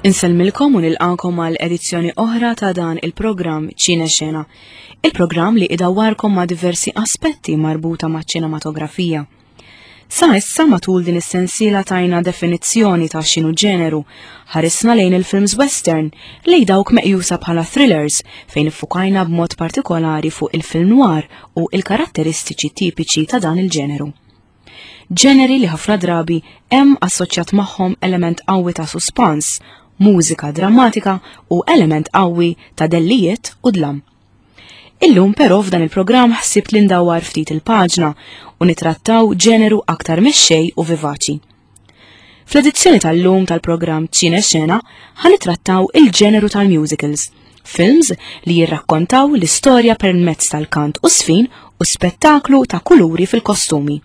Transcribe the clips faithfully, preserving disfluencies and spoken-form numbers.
Insellmilkom u nilqakom għal edizzjoni oħra ta' dan il-programm Ċine Xena. Il-programm li idawwarkom ma' diversi aspetti marbuta ma' ċinematografija. Sa issa matul din is-sensiela tajna definizzjoni ta' x'inhu ġeneru, ħarisna lejn il-films western lejn dawk meqjusa bħala thrillers fejn iffukajna b'mod partikolari fuq il-film noir u il-karatteristiċi tipiċi ta' dan il-ġeneru. Ġeneri li ħafna drabi hemm assoċjat magħhom element qawwi ta' suspans, mużika drammatika u element qawwi ta' dellijiet u dlam. Illum però f'dan il-programm ħsibt li ndawwar ftit il-paġna u nitrattaw ġeneru aktar mexxej u vivaċi. Fl-edizzjoni tal-lum tal-programm Ċine Xena ħa nittrattaw il-ġeneru tal-musicals, films li jirrakkontaw l-istorja permezz tal-kant u sfin u spettaklu ta' kuluri fil-kostumi.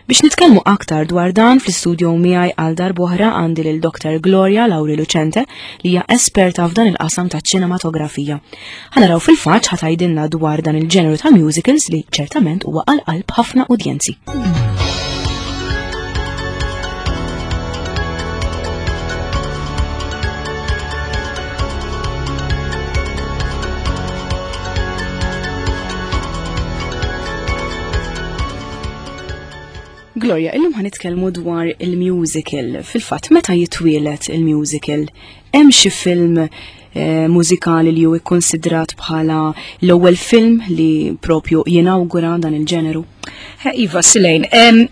Biex nitkellmu aktar dwar dan fl-istudio miegħi għal darb'oħra għandi lil Dr. Gloria Lauri Lucente li hija esperta f'dan il-qasam ta' ċinematografija. Ħa naraw fil-fatt ħa tgħidilna dwar dan il-ġeneru ta' musicals li ċertament huwa għal qalb ħafna udjenzi. Gloria, illum ħa nitkellmu dwar il-musical. Fil-fatt, meta jitwielet il-musical, hemm xi film eh, mużikali li hu ikkonsidrat bħala l-ewwel film li propju jinawgura dan il-ġeneru? Iva, Silejn,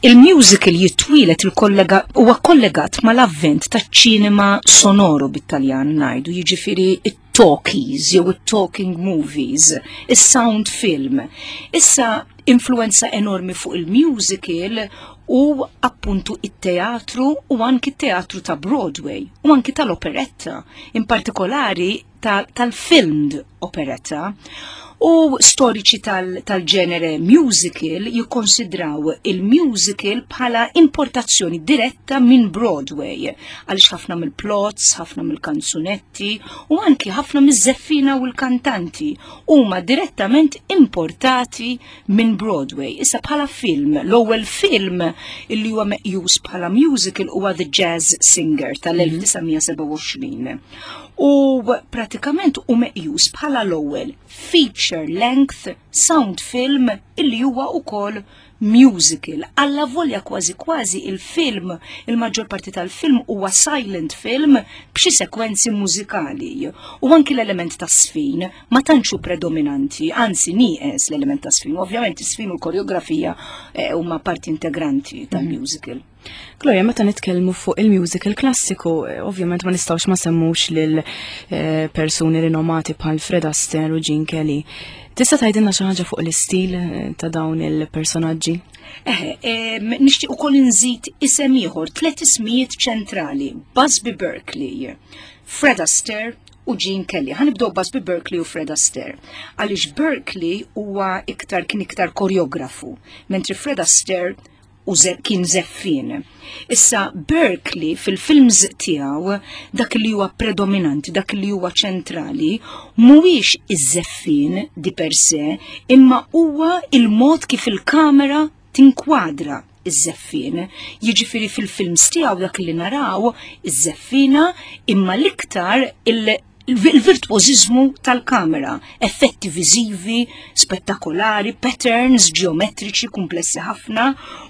il-musical jitwielet il-kollega huwa kollegat mal-avvent taċ-ċinema sonoro bit-Taljan ngħidu, jiġifieri it-talkies jew it-talking movies, is-sound film. Issa influenza enormi fuq il-musical u appuntu it-teatru u anki teatru ta' Broadway u anki tal-operetta, in partikolari tal-filmed operetta. U storiċi tal-ġenere tal musical jikkonsidraw il-musical bħala importazzjoni diretta minn Broadway, għaliex ħafna mill-plots, ħafna mill-kanzunetti u anki ħafna miż-żeffina u l-kantanti huma direttament importati minn Broadway. Issa bħala film, l-ewwel film illi huwa meqjus bħala musical huwa The Jazz Singer tal-elf disa' mija sebgħa u għoxrin. U pratikament u meqjus bħala l-ewwel feature length sound film illi huwa ukoll musical. Alla volja kważi kważi il-film, il-maġġor parti tal-film huwa silent film b'xi sekwenzi mużikali. U anki l-element ta' sfin ma tantx hu predominanti, anzi nieqes l-element ta' sfin. Ovvjament is-sfin u l-koreografija, eh, huma parti integranti tal-musical. Gloria, meta nitkellmu fuq il-musical klassiku, eh, ovvjament ma nistgħux ma semmux lil, eh, persuni rinomati bħal Fred Astaire u Gene Kelly. Tista' tgħidilna xi ħaġa fuq l-istil, eh, ta' dawn il-personaġġi? Eħe, em, nixtieq ukoll inżid isem ieħor, tliet ismijiet ċentrali, Busby Berkeley, Fred Astaire u Gene Kelly. Ħa nibdew Busby Berkeley u Fred Astaire. Għaliex Berkeley huwa iktar kien iktar koreografu, mentri Fred Astaire u ze-, kien żeffien. Issa Berkeley fil-films tiegħu dak li huwa predominanti, dak li huwa ċentrali, mhuwiex iż-żeffien di per se, imma huwa il-mod kif il-kamera tinkwadra iż-żeffien. Jiġifieri fil-films tiegħu dak li naraw iż-żeffina imma l-iktar il-, il-virtuożiżmu tal-kamera, effetti viżivi spettakolari, patterns ġeometriċi komplessi ħafna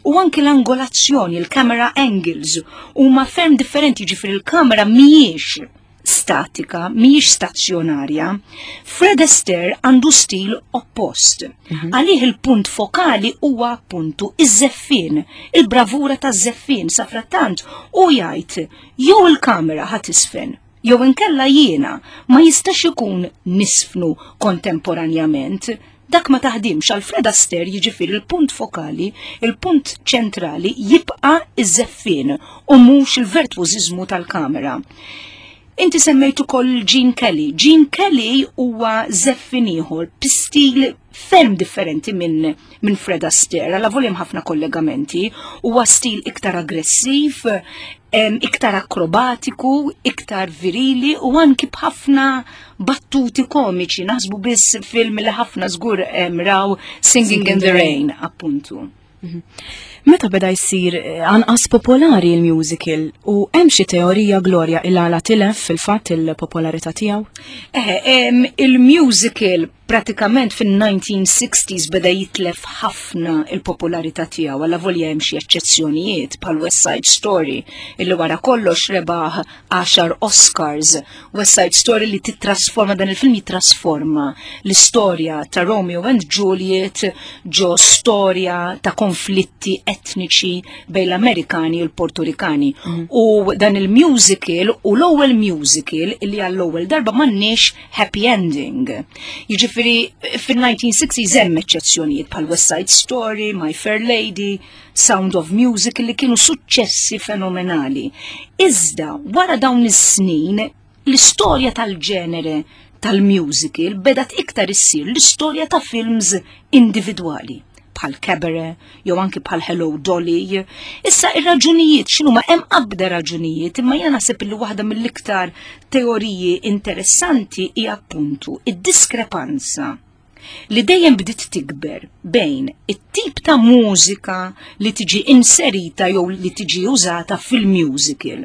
u anki l-angolazzjoni, il-camera angles huma ferm differenti, ġifieri il-kamera mhijiex statika, mhijiex stazzjonarja. Fred Astaire għandu stil oppost. Mhm. Għalih il-punt fokali huwa appuntu iż-żeffien, il-bravura taż-żeffien, sa frattant u jgħid jew il-kamera ħa tisfen, jew inkella jiena ma jistax ikun nisfnu kontemporanjament. Dak ma taħdimx għal Fred Astaire, jiġifieri il-punt fokali, il-punt ċentrali jibqa' iż-żeffien u mhux il-virtuożiżmu tal-kamera. Inti semmejt ukoll Gene Kelly. Gene Kelly huwa żeffien ieħor b'stil ferm differenti minn, minn Fred Astaire, għal voljem ħafna kollegamenti, huwa stil iktar aggressiv, em, iktar akrobatiku, iktar virili u anki b'ħafna battuti komiċi. Naħsbu biss film li ħafna żgur, em, raw Singing in the Rain, appuntu. Mhm. Meta beda jsir eh, anqas popolari il-musical u hemm xi teorija, Gloria, il għala tilef fil-fatt il-popolarità tiegħu? Eh, il-musical pratikament fin-nineteen sixties beda jitlef ħafna il-popolarità tiegħu, għalla volja hemm xi eċċezzjonijiet bħal West Side Story, illi wara kollox rebaħ għaxar Oscars. West Side Story li titrasforma, dan il-film jitrasforma l-istorja ta' Romeo and Juliet ġo storja ta' konflitti etniċi bejn l-Amerikani u l-Portorikani. Mm. U dan il-musical u l-ewwel musical illi għall-ewwel darba m'għandniex happy ending. Jiġifieri fin-nineteen sixties hemm eċċezzjonijiet bħal West Side Story, My Fair Lady, Sound of Music, li kienu suċċessi fenomenali. Iżda wara dawn is-snin, l-istorja tal-ġenere tal-musical bedat iktar issir l-istorja ta' films individwali bħal Cabaret, jew anki bħal Hello Dolly. Issa, ir-raġunijiet x'inhu? Ma hemm qabda raġunijiet, imma jena naħseb li waħda mill-iktar teoriji interessanti hija appuntu id-diskrepanza li dejjem bdiet tikber bejn it-tip ta' mużika li tiġi inserita jew li tiġi użata fil-musical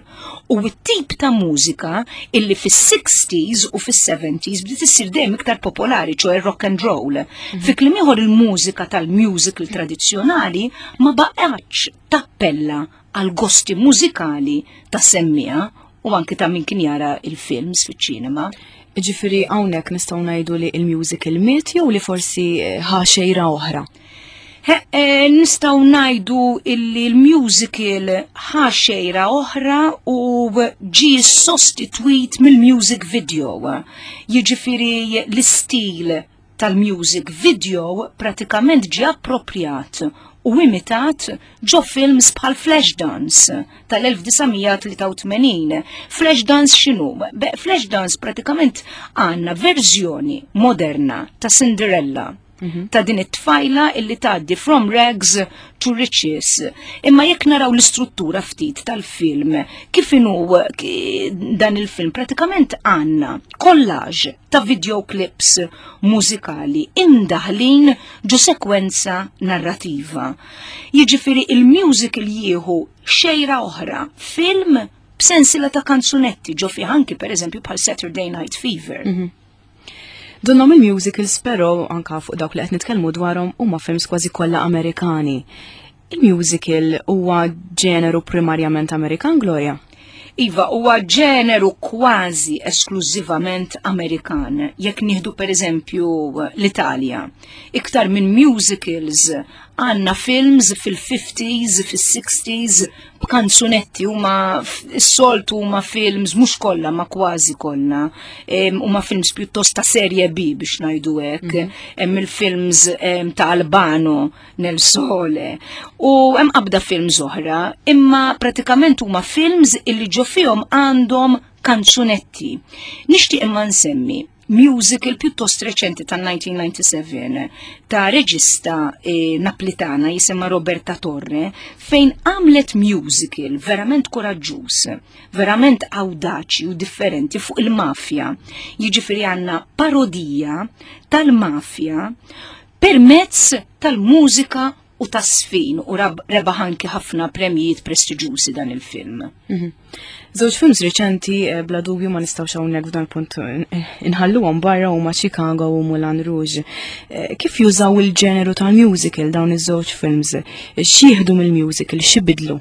u t-tip ta' mużika illi fis-sixties u fis-seventies bdiet issir dejjem iktar popolari, ċoè rock and roll. Mm -hmm. Fi kliem ieħor, il-mużika tal-musical tradizzjonali ma baqgħetx tappella għal gosti mużikali ta' semmiegħa u anki ta' min kien jara il-films fiċ-ċinema. Ġifieri hawnhekk nistgħu ngħidu li il-musical miet jew li forsi eh, ħa xejra oħra? Eh, nistgħu ngħidu illi l-musical ħa xejra oħra u ġi sostitwit mill-music video. Jiġifieri l-istil tal-music video pratikament ġi appropriat u imitat ġo films bħal Flashdance tal-elf disa' mija tlieta u tmenin. Flashdance x'inhu? Flashdance pratikament għandna verżjoni moderna ta' Cinderella, mhm. ta' din it-tfajla illi tgħaddi from rags to riches. Imma jekk naraw l-istruttura ftit tal-film, kif inhu dan il-film, pratikament għandna collage ta' videoclips mużikali imdaħlin ġo sekwenza narrativa. Jiġifieri il-musical jieħu xejra oħra, film b'sensila ta' kanzunetti ġo fi anki, per eżempju, bħal Saturday Night Fever. Mm -hmm. Donnhom il-musicals però, anka fuq dawk li qed nitkellmu dwarhom, huma films kważi kollha Amerikani. Il-musical huwa ġeneru primarjament Amerikan, Gloria? Iva, huwa ġeneru kważi esklużivament Amerikan. Jekk nieħdu, per eżempju, l-Italja, iktar minn musicals għandna films fil-fifties, fil-sixties, b'kanzunetti. Huma s-soltu huma films, mhux kollha ma kważi kollha, huma films pjuttost ta' serje B, biex ngħidu hekk. Mhm. Hemm il-films ta' Albano nel Sole u hemm qabda films oħra, imma pratikament huma films illi ġo fihom għandhom kanzunetti. Nixtieq imma nsemmi musical pjuttost reċenti tan-elfejn u disgħa ta' reġista eh, naplitana jisimha Roberta Torre, fejn għamlet musical verament koraġġuż, verament audaċi u differenti fuq il-mafja. Jiġifieri għandna parodija tal-mafja permezz tal-mużika u tas-żfin, u rebaħ anki ħafna premjijiet prestiġjużi dan il-film. Mhm. Żewġ films reċenti, eh, bla dubju ma nistgħux hawnhekk f'dan punt eh, inħalluhom barra, huma Chicago u Moulin Rouge. Eh, kif jużaw il-ġeneru tal-musical dawn iż-żewġ films? X'jieħdu mill-musical, x'ibidlu?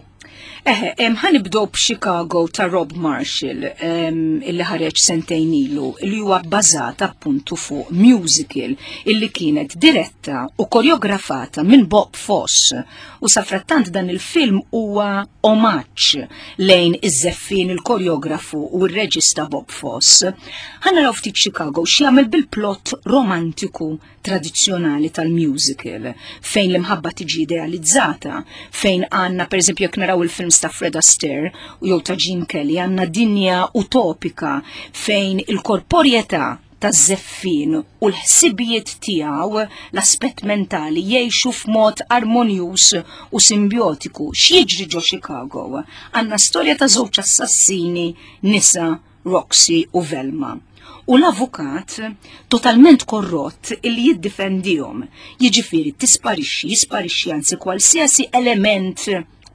Eħe, ħa nibdew b'Chicago ta' Rob Marshall, illi ħareġ sentejn ilu, li huwa bbażat appuntu fuq musical illi kienet diretta u koreografata minn Bob Fosse. U safrattant dan il-film huwa omaġġ lejn iż-żeffin, il-koreografu u r-reġista Bob Fosse. Ħa naraw ftit Chicago x'jagħmel bil-plot romantiku tradizzjonali tal-musical, fejn l-imħabba tiġi idealizzata, fejn għandna, per eżempju, jekk naraw il-films ta' Fred Astaire u jew ta' Gene Kelly, għandna dinja utopika fejn il-korporjetà ta' żeffin u l-ħsibijiet tiegħu, l-aspett mentali, jgħixu f'mod armonjuż u simbiotiku. X'jiġri ġo Chicago? Għandna storja ta' żewġ assassini nisa Roxy u Velma. U l-avukat totalment korrott illi jiddifendihom. Jiġifieri tisparixxi, jisparixxi anzi kwalsiasi element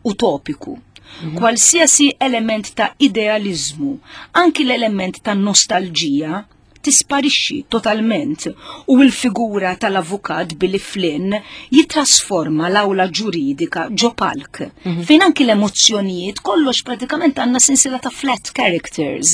utopiku, mhm. kwalsiasi element ta' idealizmu, anki l-element ta' nostalġija tisparixxi totalment u l-figura tal-avukat Billy Flynn jitrasforma l-awla ġuridika ġo palk mm -hmm. fejn anki l-emozzjonijiet kollox pratikament għandna sensiela ta' flat characters.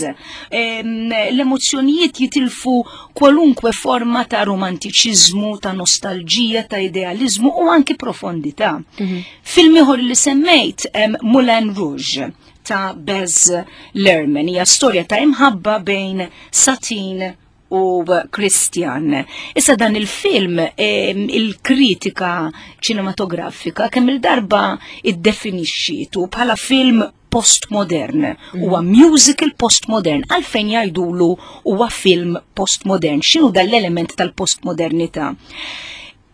L-emozzjonijiet jitilfu kwalunkwe forma ta' romantiċiżmu, ta' nostalġija, ta' idealizmu u anki profondità. Mm -hmm. Film ieħor li semmejt Moulin Rouge ta' Baz Luhrmann hija storja ta' imħabba bejn Satine u Christian. Issa dan il-film, il-kritika ċinematografika kemm il-darba iddefinixxitu bħala film postmodern. Mm. Huwa musical postmodern. Għalfejn jgħidulu huwa film postmodern. X'inhu dal-element tal-postmodernità?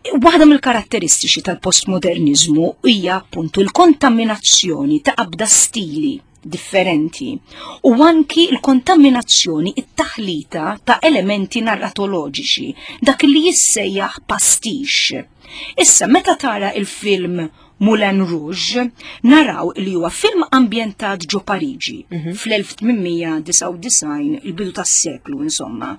Waħda mill-karatteristiċi tal-postmodernizmu hija appuntu l-kontaminazzjoni ta' qabda stili differenti u anki l-kontaminazzjoni, it-taħlita ta' elementi narratoloġiċi, dak li jissejjaħ pastiche. Issa, meta tara il-film Moulin Rouge, naraw li huwa film ambjentat ġo Pariġi mm -hmm. fl-elf tmien mija disgħa u disgħin, il-bidu tas-seklu insomma.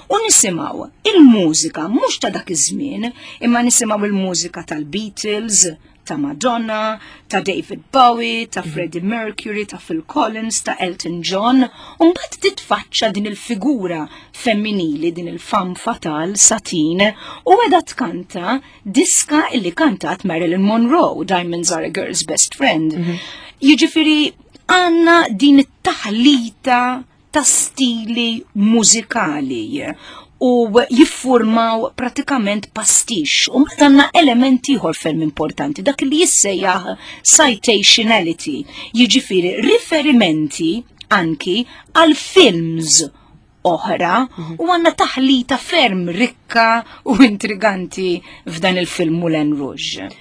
U nisimgħu il-mużika mhux ta' dak iż-żmien, imma nisimgħu il-mużika tal-Beatles, ta' Madonna, ta' David Bowie, ta' mhm. Freddie Mercury, ta' Phil Collins, ta' Elton John, u mbagħad titfaċċa din il-figura femminili, din il-femme fatale, Satine, u qegħda tkanta diska illi kantat Marilyn Monroe, "Diamonds Are a Girl's Best Friend". Mm -hmm. Jiġifieri għandna din it-taħlita ta' stili mużikali u jiffurmaw pratikament pastiche. U għandna elementi ieħor ferm importanti, dak li jissejjaħ citationality, jiġifieri riferimenti anki għal films oħra mhm. u għandna taħlita ferm rikka u intriganti f'dan il-film Moulin Rouge.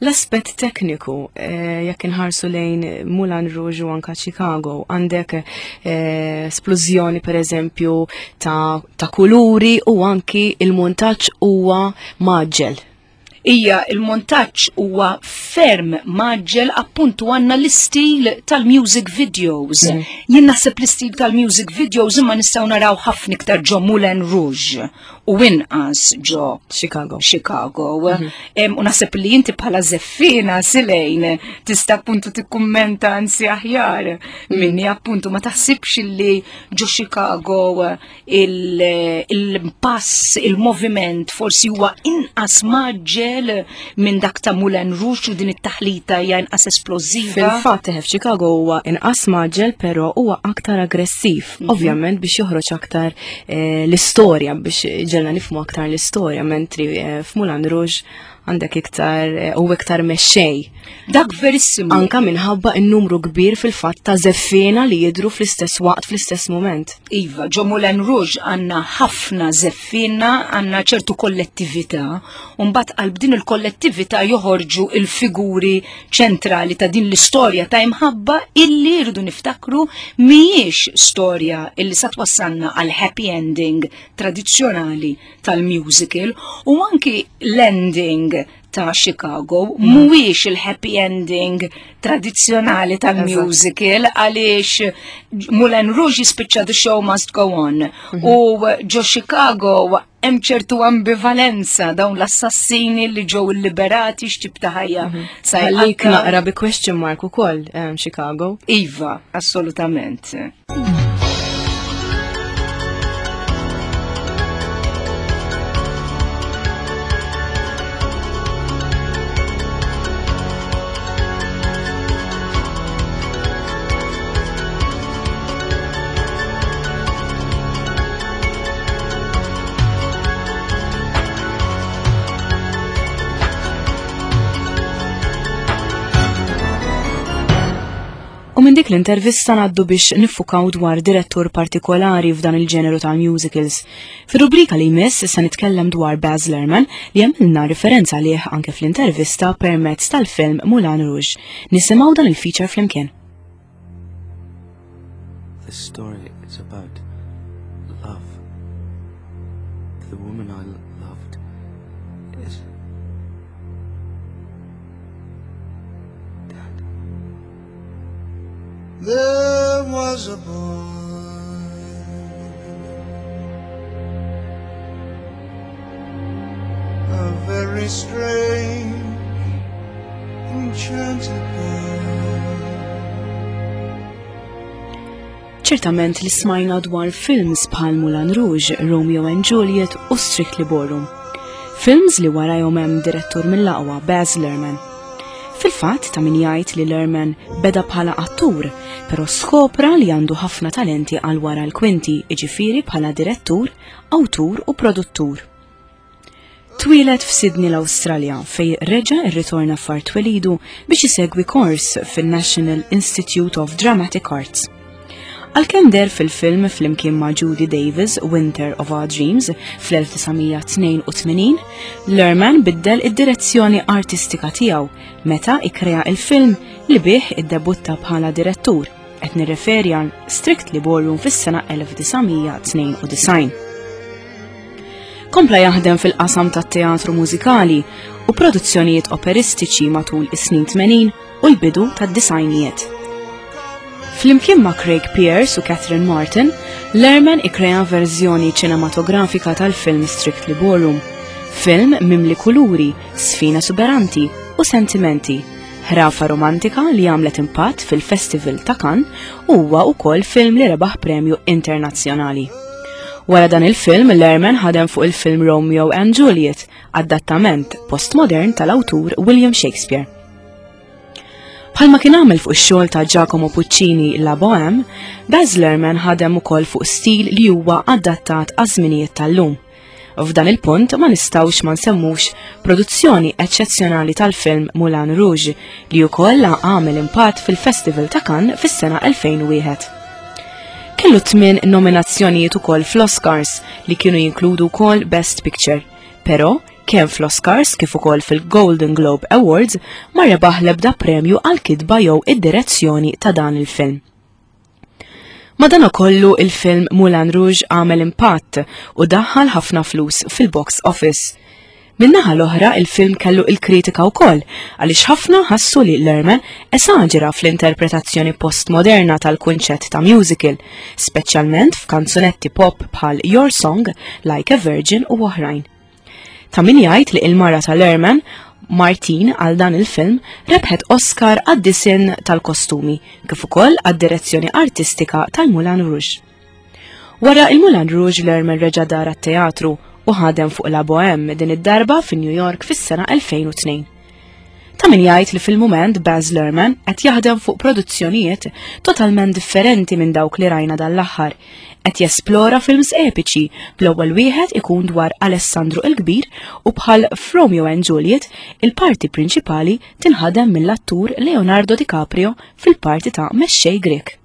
L-aspett tekniku, eh, jekk inħarsu lejn Moulin Rouge u anka Chicago, għandek eh, splużjoni per eżempju ta', ta kuluri u anki il-montaġġ huwa mgħaġġel. Ija, il-montaġġ huwa ferm mgħaġġel, appuntu għandna l-istil tal-music videos. Mm. Jien naħseb l-istil tal-music videos imma nistgħu naraw ħafna iktar ġo Moulin Rouge u inqas ġo Chicago. Chicago. Mm -hmm. U naħseb li inti bħala żeffiena, Silejn, tista' appuntu tikkummenta anzi aħjar mm. minni, appuntu ma taħsibx li ġo Chicago il-pass, il-moviment forsi huwa inqas mgħaġġel minn dak ta' Moulin Rouge u din it-taħlita hija inqas esplożiva? Fil-fatt f'Chicago huwa inqas mgħaġġel, però huwa aktar aggressiv. Mm -hmm. Ovvjament biex joħroġ aktar eh, l-istorja, biex ġelna nifhmu aktar l-istorja, mentri eh, f'Moulin Rouge għandek iktar eh, u iktar mexxej. Dak verissimu. Anka minħabba n-numru kbir fil-fatt ta' żeffiena li jidru fl-istess waqt, fl-istess moment. Iva, ġo Moulin Rouge għandna ħafna żeffiena, għandna ċertu kollettività, u mbagħad qalb din il-kollettività joħorġu il-figuri ċentrali ta' din l-istorja ta' imħabba illi rridu niftakru mhijiex storja illi sa twassalna għal happy ending tradizzjonali tal-musical, u anki l-ending ta' Chicago mhuwiex il-happy ending tradizzjonali tal-musical, għaliex Moulin Rouge jispiċċa "the show must go on" u ġo Chicago hemm ċertu ambivalenza, dawn l-assassini li ġew illiberati x'tip ta' ħajja sa Għalik jqatta'. Naqra bi question mark ukoll um, Chicago. Iva, assolutament. U minn dik l-intervista ngħaddu biex niffukaw dwar direttur partikolari f'dan il-ġeneru tal-musicals. Fir-rubrika li jmiss se nitkellem dwar Baz Luhrmann, li għamilna referenza għalih anke fl-intervista permezz tal-film Moulin Rouge. Nisimgħu dan il-feature flimkien. This story is about The woman I loved is dead. There was a boy, a very strange, enchanted boy. Ċertament li smajna dwar films bħal Moulin Rouge, Romeo and Juliet u Strictly Ballroom. Films li warajhom hemm direttur mill-aqwa Baz Luhrmann. Fil-fatt ta' min jgħid li Luhrmann beda bħala attur, però skopra li għandu ħafna talenti għal wara l-kwinti, iġifieri bħala direttur, awtur u produttur. Twieled f'Sydney l-Awstralja fej reġa' irritorna f'art twelidu biex isegwi kors fin-National Institute of Dramatic Arts. Għalkemm deher fil-film flimkien ma' Judy Davis, Winter of Our Dreams, fl-elf disa' mija tnejn u tmenin, Luhrmann biddel id-direzzjoni artistika tiegħu meta ikkrea il-film li bih iddebutta bħala direttur, qed nirreferi għal Strictly Ballroom fis-sena elf disa' mija tnejn u disgħin. Kompla jaħdem fil-qasam tat-teatru mużikali u produzzjonijiet operistiċi matul is-snin tmenin u l-bidu tad-disajnijiet. Flimkien ma' Craig Pearce u Catherine Martin, Luhrmann ikkrea verżjoni ċinematografika tal-film Strictly Ballroom, film mimli kuluri, sfina suberanti u sentimenti, ħrafa romantika li għamlet impatt fil-Festival ta' Cannes u huwa wkoll film li rebaħ premju internazzjonali. Wara dan il-film, Luhrmann ħadem fuq il-film Romeo and Juliet, adattament postmodern tal-awtur William Shakespeare. Bħalma kien għamel fuq ix-xogħol ta' Giacomo Puccini La Bohème, Baz Luhrmann ħadem ukoll fuq stil li huwa adattat għaż-żminijiet tal-lum. F'dan il-punt ma nistgħux ma nsemmux produzzjoni eċċezzjonali tal-film Moulin Rouge li wkoll għamel impatt fil-Festival ta' Cannes fis-sena elfejn u wieħed. Kellu tmien nominazzjonijiet ukoll fl-Oscars li kienu jinkludu wkoll Best Picture, però kemm fl-Oscars kif ukoll fil-Golden Globe Awards ma rebaħ l-ebda premju għal kitba jew id-direzzjoni ta' dan il-film. Madanakollu il-film Moulin Rouge għamel impatt u daħħal ħafna flus fil-box office. Min-naħa l-oħra il-film kellu il-kritika wkoll għaliex ħafna ħassu li Luhrmann esaġera fl-interpretazzjoni postmoderna tal-kunċett ta' musical, speċjalment f'kanzunetti pop bħal Your Song, Like a Virgin u oħrajn. Ta' min jgħid li il-mara ta' Luhrmann, Martine, għal dan il-film rebħet Oscar għad-disinn tal-kostumi, kif ukoll għad-direzzjoni artistika tal-Moulin Rouge. Wara il-Moulin Rouge, Luhrmann reġa' dar għat-teatru u ħadem fuq La Bohème din id-darba fi New York fis-sena elfejn u tnejn. Ta' min jgħid li fil-mument Baz Luhrmann qed jaħdem fuq produzzjonijiet totalment differenti minn dawk li rajna dan l-aħħar. Qed jesplora films epiċi, bl-ewwel wieħed ikun dwar Alessandru il-Kbir u bħal Romeo and Juliet il-parti prinċipali tinħadem mill-attur Leonardo DiCaprio fil-parti ta' mexxej Grek.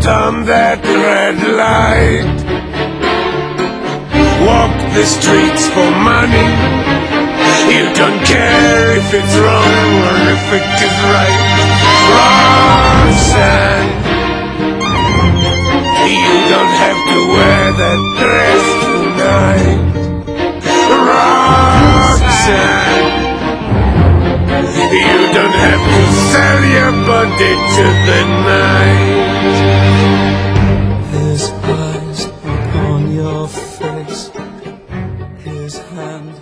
On that red light, walk the streets for money. You don't care if it's wrong or if it is right. Roxanne, you don't have to wear that dress tonight. Roxanne, you don't have to into the night. His eyes upon your face, his hand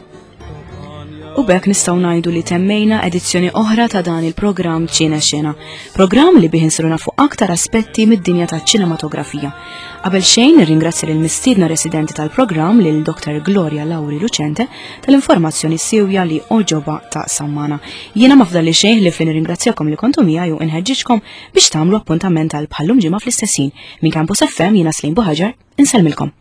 upon your U b'hekk nistgħu ngħidu li temmejna edizzjoni oħra ta' dan il-programm Ċine Xena. Programm li bih insiru nafu aktar aspetti mid-dinja ta' ċinematografija. Qabel xejn nirringrazzja lil mistiedna residenti tal-programm lil Dr. Gloria Lauri Lucente tal-informazzjoni siewja li għoġobha taqsam magħna. Jiena ma fdalli xejn ħlief li nirringrazzjakom li kontu miegħi u inħeġġiġkom biex tagħmlu appuntament għal bħal-lum ġimgħa fl-istess ħin. Minn Campus FM jiena Slim Buħaġar, insellmilkom.